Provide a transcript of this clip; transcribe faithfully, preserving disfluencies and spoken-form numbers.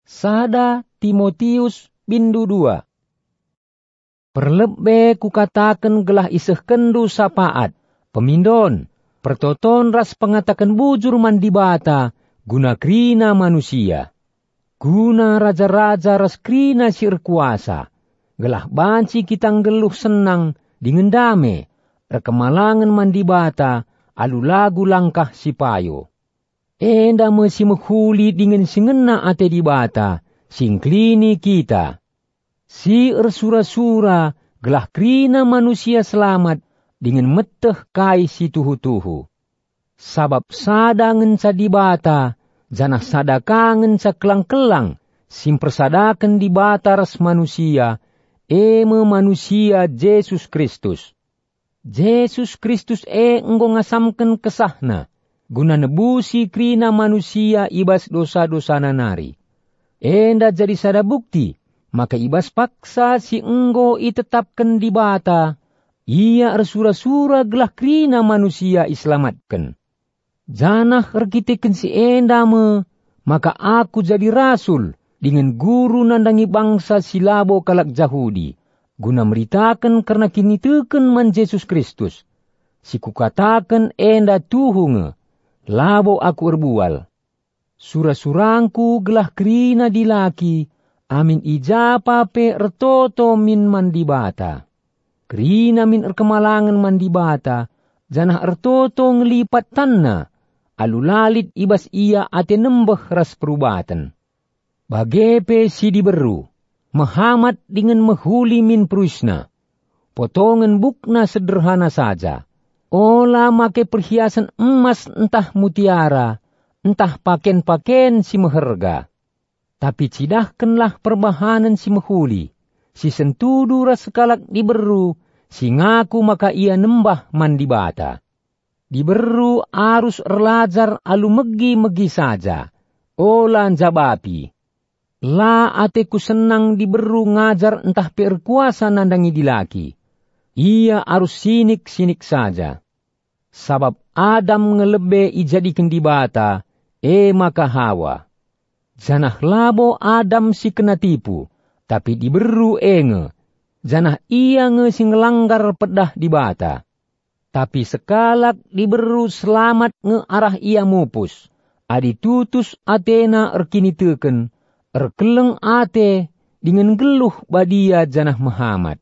Sada Timotius bindu dua. Perlebe kukataken gelah isehkenndu sapaat, pemindon, pertoton ras pengataken bujur man Dibata guna kerina manusia. Guna raja-raja ras kerina si erkuasa, gelah banci kita nggeluh senang dingen dame, erkemalangen man Dibata alu lagu langkah si payo. Enda me si mehuli dingen si ngena ate Dibata, si ngkelini kita, si ersura-sura gelah kerina manusia selamat dingen meteh kai si tuhu-tuhu. Sabap sada ngenca Dibata, janah sada ka ngenca kelang-kelang si mpersadaken Dibata ras manusia, e me manusia Jesus Kristus. Jesus Kristus e enggo ngasamken kesahNa guna nebusi kerina manusia i bas dosa-dosana nari. Enda jadi sada bukti maka i bas paksa si enggo itetapken Dibata, Ia ersura-sura gelah kerina manusia iselamatken. Janah erkiteken si enda me maka aku jadi rasul dingen guru nandangi bangsa si labo kalak Jahudi, guna meritaken kerna kiniteken man Jesus Kristus. Si kukataken enda tuhu nge, labo aku erbual. Sura-surangku gelah kerina dilaki, amin i ja pa pe ertoto min man Dibata. Kerina min erkemalangen man Dibata, janah ertoto ngelipat tanna, alu la lit i bas ia ate nembeh ras perubaten. Bage pe si diberu, mehamat dingen mehuli min peruisna. Potongen bukna sederhana saja. Ola make perhiasen emas ntah mutiara, ntah paken-paken si meherga. Tapi cidahkenlah perbahanen si mehuli, si sentudu ras sekalak diberu si ngaku maka ia nembah man Dibata. Diberu arus erlajar alu megi-megi saja, ola njabapi. La ateku senang diberu ngajar ntah pe erkuasa nandangi dilaki. Ia arus sinik-sinik saja. Sabap Adam nge lebe ijadiken Dibata, e maka Hawa. Janah labo Adam si kena tipu, tapi diberu e nge, janah ia nge si ngelanggar pedah Dibata. Tapi sekalak diberu selamat nge arah ia mupus, adi tutus atena erkiniteken, erkeleng ate, dingen nggeluh badia janah mehamat.